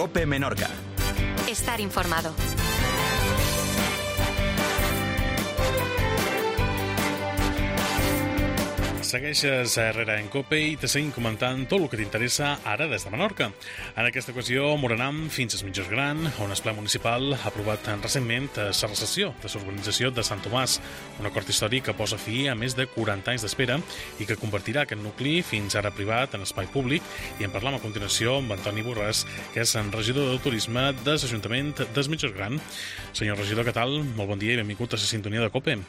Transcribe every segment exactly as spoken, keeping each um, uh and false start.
COPE Menorca. Estar informado. Segueixes a Herrera en COPE i te seguim comentant tot el que t'interessa ara des de Menorca. En aquesta ocasió morenam fins als mitjors gran, on el ple municipal ha aprovat recentment la recessió de l'urbanització de Sant Tomàs, un acord històric que posa fi a més de quaranta anys d'espera i que convertirà aquest nucli fins ara privat en espai públic. I en parlam a continuació amb Antoni Borràs, que és en regidor de turisme de l'Ajuntament dels Mitjors Gran. Senyor regidor, què tal? Molt bon dia i benvingut a la sintonia de COPE.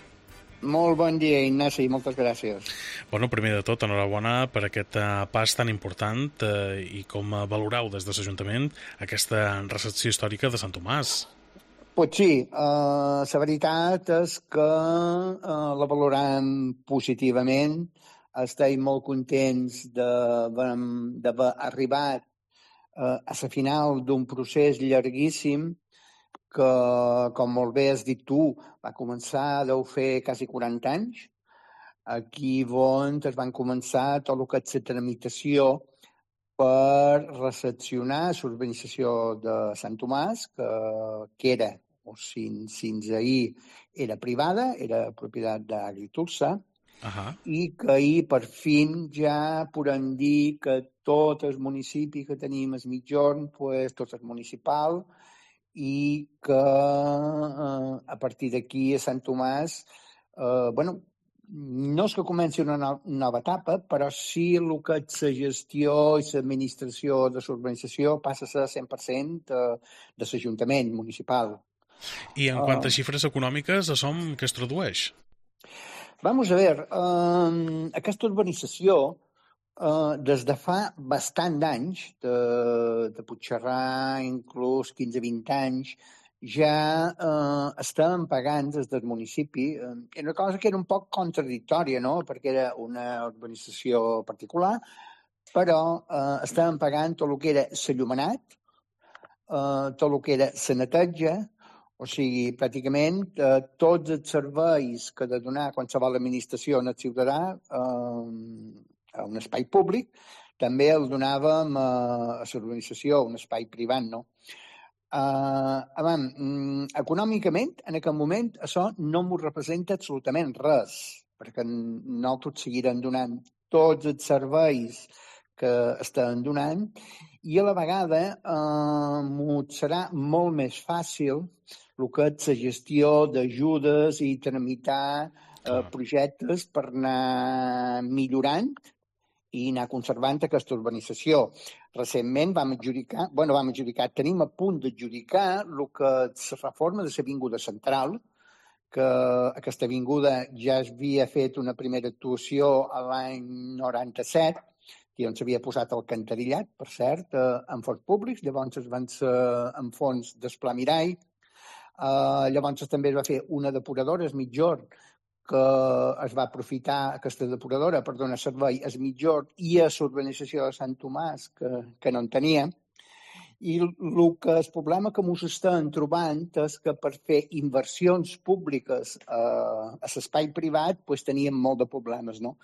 Molt bon dia, Ignasi, moltes gràcies. Bueno, primer de tot, enhorabona per aquest pas tan important eh, i com valoreu des de l'Ajuntament aquesta recepció històrica de Sant Tomàs. Pues sí, uh, la veritat és que uh, la valorem positivament. Estem molt contents d'haver arribat uh, a la final d'un procés llarguíssim que, com molt bé has dit tu, va començar, deu fer quasi quaranta anys. Aquí on es van començar tot el que és la tramitació per recepcionar l'urbanització de Sant Tomàs, que, que era, o fins, fins ahir, era privada, era propietat d'Agritursa, uh-huh. I que ahir, per fi, ja podem dir que tot el municipi que tenim al Migjorn, pues, tot és municipal, i que eh, a partir d'aquí a Sant Tomàs, eh, bueno, no és que comenci una no, nova etapa, però sí el que és la gestió i l'administració de l'urbanització passa a ser cent per cent de, de l'Ajuntament municipal. I en quant a xifres econòmiques, això què es tradueix? Vamos a ver, eh, aquesta urbanització Uh, des de fa bastant d'anys, de, de Puigcerdà, inclús quinze a vint anys, ja uh, estàvem pagant des del municipi. Uh, era una cosa que era un poc contradictòria, no?, perquè era una urbanització particular, però uh, estàvem pagant tot el que era l'enllumenat, uh, tot el que era la neteja, o sigui, pràcticament uh, tots els serveis que ha de donar qualsevol administració al ciutadà uh, a un espai públic, també el donàvem a, a l'organització, un espai privat, no? Uh, abans, um, econòmicament, en aquest moment, això no m'ho representa absolutament res, perquè nosaltres seguirem donant tots els serveis que estan donant i a la vegada uh, m'ho serà molt més fàcil el que és la gestió d'ajudes i tramitar uh, projectes per anar millorant i anar conservant aquesta urbanització. Recentment vam adjudicar, bueno, vam adjudicar, tenim a punt d'adjudicar el que és la reforma de l'Avinguda Central, que aquesta avinguda ja es havia fet una primera actuació a l'any noranta-set, i on s'havia posat el cantarillat, per cert, en fons públics, llavors es van ser en fons d'Esplà Mirall, uh, llavors també es va fer una depuradora, es Migjorn, que es va aprofitar aquesta depuradora per donar servei al Migjorn i a l'urbanització de Sant Tomàs, que, que no en tenia. I el que el problema que ens estem trobant és que per fer inversions públiques a, a l'espai privat pues, teníem molt de problemes, no?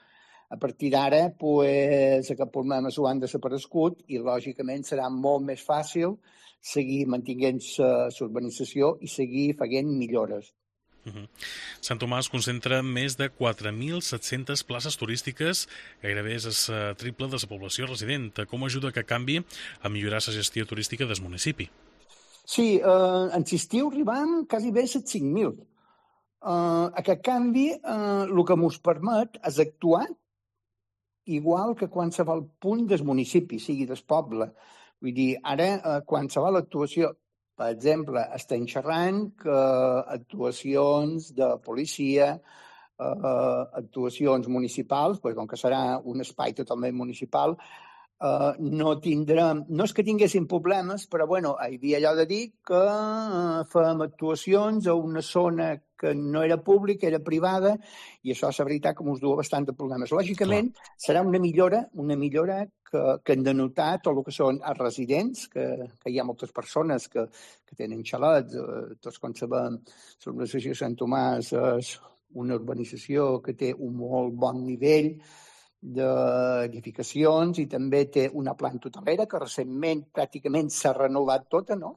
A partir d'ara, pues, aquests problemes ho han desaparegut i, lògicament, serà molt més fàcil seguir mantenint l'urbanització i seguir fent millores. Uh-huh. Sant Tomàs concentra més de quatre mil set-centes places turístiques, gairebé és el triple de la població resident. Com ajuda que canvi a millorar la gestió turística del municipi? Sí, eh, en l'estiu arribam quasi bé a les cinc mil. Eh, aquest canvi eh, el que ens permet és actuar igual que qualsevol punt del municipi, sigui del poble. Vull dir, ara eh, qualsevol actuació, per exemple, estem xerrant que actuacions de policia, eh, actuacions municipals, pues, com que serà un espai totalment municipal, eh, no tindrem, no és que tinguessin problemes, però bueno, hi havia allò de dir que eh, fem actuacions a una zona que no era pública, era privada, i això és la veritat que ens du bastant de problemes. Lògicament, clar, serà una millora, una millora que, que hem de notar tot el que són els residents, que, que hi ha moltes persones que, que tenen xalets, eh, tots com sabem, l'urbanització de Sant Tomàs és una urbanització que té un molt bon nivell d'edificacions i també té una planta hotelera que recentment pràcticament s'ha renovat tota, no?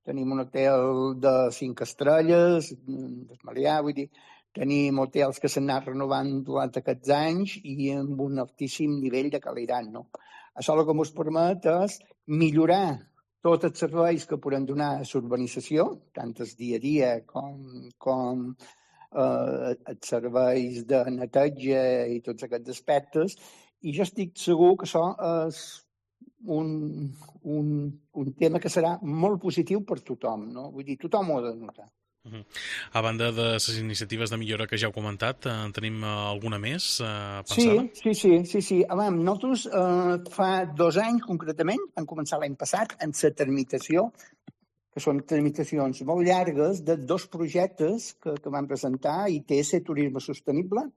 Tenim un hotel de cinc estrelles, d'Esmalià, vull dir, tenim hotels que s'han anat renovant durant aquests anys i amb un altíssim nivell de qualitat, no? Això el que ens permet és millorar tots els serveis que podem donar a l'urbanització, tant el dia a dia com, com eh, els serveis de neteja i tots aquests aspectes, i jo estic segur que això és un, un, un tema que serà molt positiu per tothom, no? Vull dir, tothom ho ha de notar. Uh-huh. A banda de les iniciatives de millora que ja heu comentat, eh, tenim alguna més eh, pensada? Sí, sí, sí. sí, sí. Abans, nosaltres eh, fa dos anys concretament, vam començar l'any passat, amb la tramitació, que són tramitacions molt llargues, de dos projectes que, que vam presentar, I T S, Turisme Sostenible.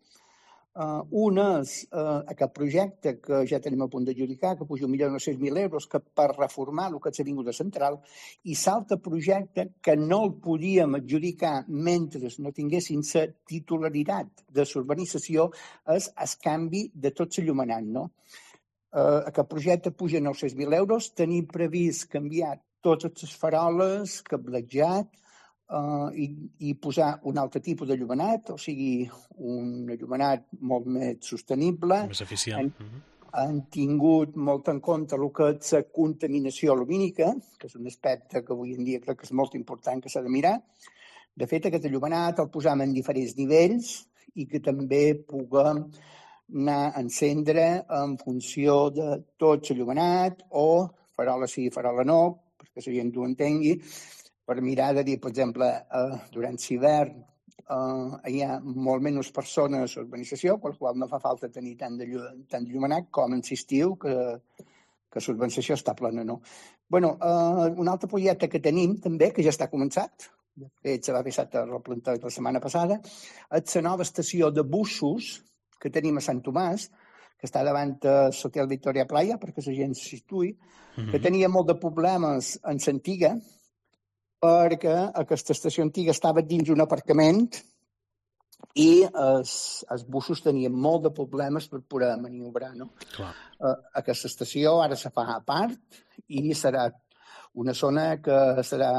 Uh, un és uh, aquest projecte que ja tenim a punt d'adjudicar, que puja un milió nou-cents mil euros, que per reformar el que és l'Avinguda Central, i l'altre projecte que no el podíem adjudicar mentre no tinguessin la titularitat de l'urbanització és el canvi de tot l'il·luminat, no? Uh, aquest projecte puja nou-cents mil euros, tenim previst canviar totes les faroles, cablejat, Uh, i, i posar un altre tipus de llumenat, o sigui, un llumenat molt més sostenible. Més eficient. Han, uh-huh. han tingut molt en compte el que és la contaminació lumínica, que és un aspecte que avui en dia crec que és molt important que s'ha de mirar. De fet, aquest llumenat el posam en diferents nivells i que també puguem anar a encendre en funció de tot l'il·luminat o farola sí, farola no, perquè la gent ho entengui, per mirar de dir, per exemple, eh, durant l'hivern eh, hi ha molt menys persones a l'urbanització, per la qual no fa falta tenir tant de, tant de llumenat com en l'estiu, que, que l'urbanització està plena, no? Bueno, eh, un altre projecte que tenim també, que ja està començat, de fet, se va fer a replantar la setmana passada, és la nova estació de busos que tenim a Sant Tomàs, que està davant de l'Hotel Victoria Playa, perquè la gent s'hi situï, mm-hmm. que tenia molt de problemes en l'antiga, perquè aquesta estació antiga estava dins un aparcament i els, els busos tenien molt de problemes per poder maniobrar, no? Clar. Uh, aquesta estació ara se fa a part i serà una zona que serà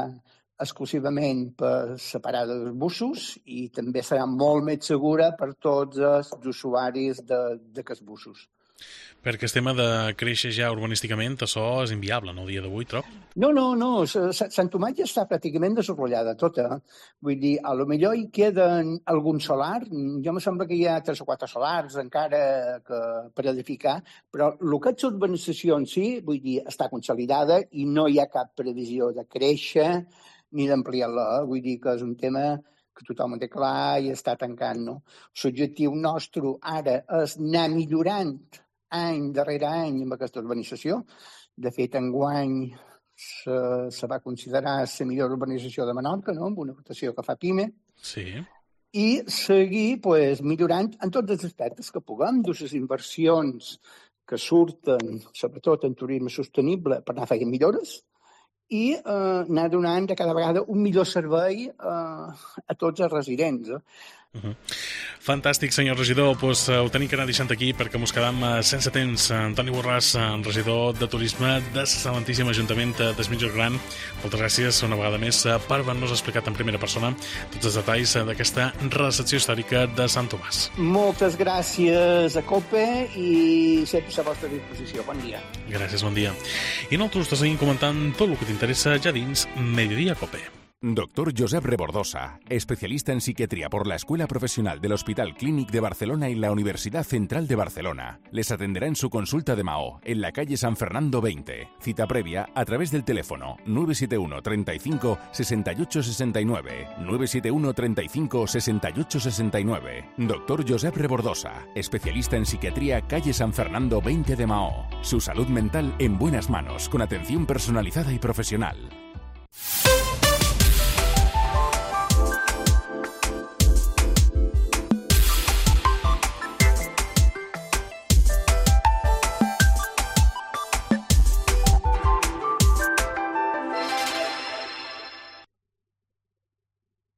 exclusivament per separar dels busos i també serà molt més segura per tots els usuaris d'aquests busos. Perquè el tema de créixer ja urbanísticament, això és inviable, no, el dia d'avui, trob? No, no, no. Sant Tomàs ja està pràcticament desenvolupada tota. Vull dir, a lo millor hi queden algun solar. Jo me sembla que hi ha tres o quatre solars encara que, per edificar, però el que és urbanització en si, vull dir, està consolidada i no hi ha cap previsió de créixer ni d'ampliar-la. Vull dir que és un tema que tothom ho té clar i està tancant, no? L'objectiu nostre ara és anar millorant any darrere any amb aquesta urbanització. De fet, enguany se, se va considerar la millor urbanització de Menorca, no? Amb una votació que fa PIME. Sí. I seguir pues, millorant en tots els aspectes que puguem, de les inversions que surten, sobretot en turisme sostenible, per anar fent millores, i eh, anar donant de cada vegada un millor servei eh, a tots els residents. Eh? Uh-huh. Fantàstic, senyor regidor. Pues, uh, ho tenim que anar deixant aquí perquè mos quedam uh, sense temps. Antoni Borràs, uh, regidor de Turisme de l'Excel·lentíssim Ajuntament de Mitjós Gran, moltes gràcies una vegada més uh, per haver-nos explicat en primera persona tots els detalls uh, d'aquesta recepció històrica de Sant Tomàs. Moltes gràcies a COPE i sempre a la vostra disposició. Bon dia. Gràcies, bon dia. I nosaltres te seguim comentant tot el que t'interessa ja dins Mediodía COPE. Doctor Josep Rebordosa, especialista en psiquiatría por la Escuela Profesional del Hospital Clínic de Barcelona y la Universidad Central de Barcelona. Les atenderá en su consulta de Mahó, en la calle San Fernando veinte. Cita previa a través del teléfono nueve siete uno treinta y cinco sesenta y ocho sesenta y nueve, nueve siete uno treinta y cinco sesenta y ocho sesenta y nueve. Doctor Josep Rebordosa, especialista en psiquiatría, calle San Fernando veinte de Mahó. Su salud mental en buenas manos, con atención personalizada y profesional.